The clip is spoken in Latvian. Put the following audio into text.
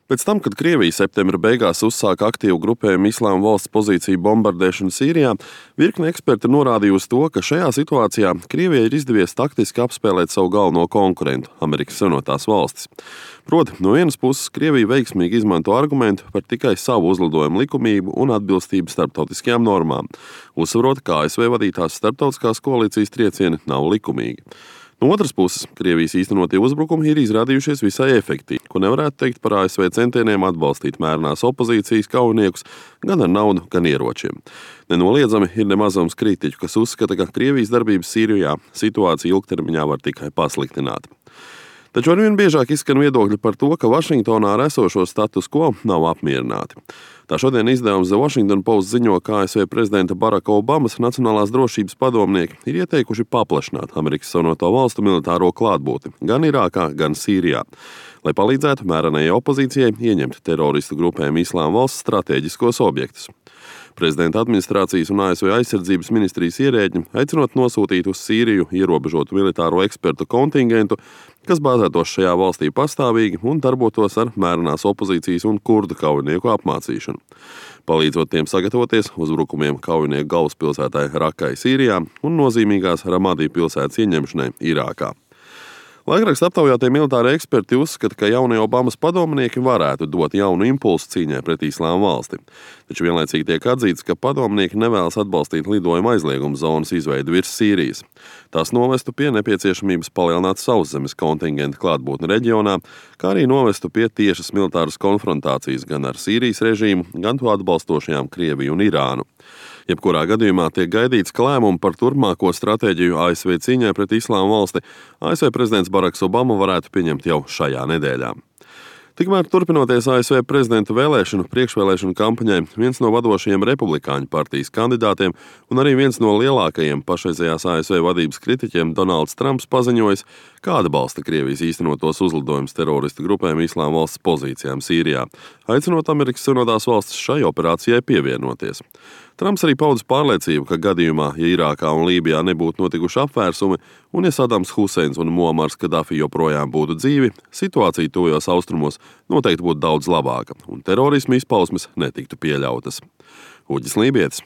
Pēc tam, kad Krievija septembra beigās uzsāka aktīvu grupējumu Islāma valsts pozīciju bombardēšanu Sīrijā, virkne eksperti norādījusi to, ka šajā situācijā Krievijai ir izdevies taktiski apspēlēt savu galveno konkurentu – Amerikas Savienotās valstis. Proti, no vienas puses Krievija veiksmīgi izmanto argumentu par tikai savu uzlidojumu likumību un atbilstību starptautiskajām normām, uzsverot, ka ASV vadītās starptautiskās koalīcijas triecieni nav likumīgi. No otras puses, Krievijas īstenotie uzbrukumi ir izrādījušies visai efektīvi, ko nevarētu teikt par ASV centieniem atbalstīt mērenās opozīcijas kaujiniekus gan ar naudu, gan ieročiem. Nenoliedzami ir nemazums kritiķu, kas uzskata, ka Krievijas darbības Sīrijā situāciju ilgtermiņā var tikai pasliktināt. Taču arvien biežāk izskan viedokļi par to, ka Vašingtonā ar esošo status quo nav apmierināti. Tā šodien izdevums The Washington Post ziņo, ka ASV prezidenta Baraka Obamas nacionālās drošības padomnieki ir ieteikuši paplašināt Amerikas Savienoto valstu militāro klātbūtni gan Irākā, gan Sīrijā, lai palīdzētu mērenajai opozīcijai ieņemt teroristu grupējumu Islāma valsts stratēģiskos objektus. Prezidenta administrācijas un ASV aizsardzības ministrijas ierēģi aicinot nosūtīt uz Sīriju ierobežotu militāro ekspertu kontingentu, kas bāzētos šajā valstī pastāvīgi un darbotos ar mērenās opozīcijas un kurdu kaujinieku apmācīšanu, palīdzot tiem sagatavoties uzbrukumiem kaujinieku galvaspilsētai Rakai Sīrijā un nozīmīgās Ramadī pilsētas ieņemšanai Irākā. Laikraksta aptaujātie militāri eksperti uzskata, ka jaunie Obamas padomnieki varētu dot jaunu impulsu cīņai pret Islāma valsti. Taču vienlaicīgi tiek atzīts, ka padomnieki nevēlas atbalstīt lidojuma aizlieguma zonas izveidi virs Sīrijas. Tās novestu pie nepieciešamības palielināt sauszemes kontingentu klātbūtni reģionā, kā arī novestu pie tiešas militāras konfrontācijas gan ar Sīrijas režīmu, gan to atbalstošajām Krieviju un Irānu. Jebkurā gadījumā tiek gaidīts, ka lēmumu par turpmāko stratēģiju ASV cīņai pret Islāma valsti ASV prezidents Baraks Obama varētu pieņemt jau šajā nedēļā. Tikmēr turpinoties ASV prezidenta priekšvēlēšanu kampaņai, viens no vadošajiem republikāņu partijas kandidātiem un arī viens no lielākajiem pašreizējās ASV vadības kritiķiem Donalds Trumps paziņojis, ka atbalsta Krievijas īstenotos uzlidojumus teroristu grupēm Islāma valsts pozīcijām Sīrijā, aicinot Amerikas Savienotās valstis šai operācijai pievienoties. Trumps arī paudis pārliecību, ka gadījumā, ja Irākā un Lībijā nebūtu notikuši apvērsumi, un ja Sadams Huseins un Muamars Kadafi joprojām būtu dzīvi, situācija tuvajos austrumos noteikti būtu daudz labāka, un terorisma izpausmes netiktu pieļautas. Uģis Lībietis,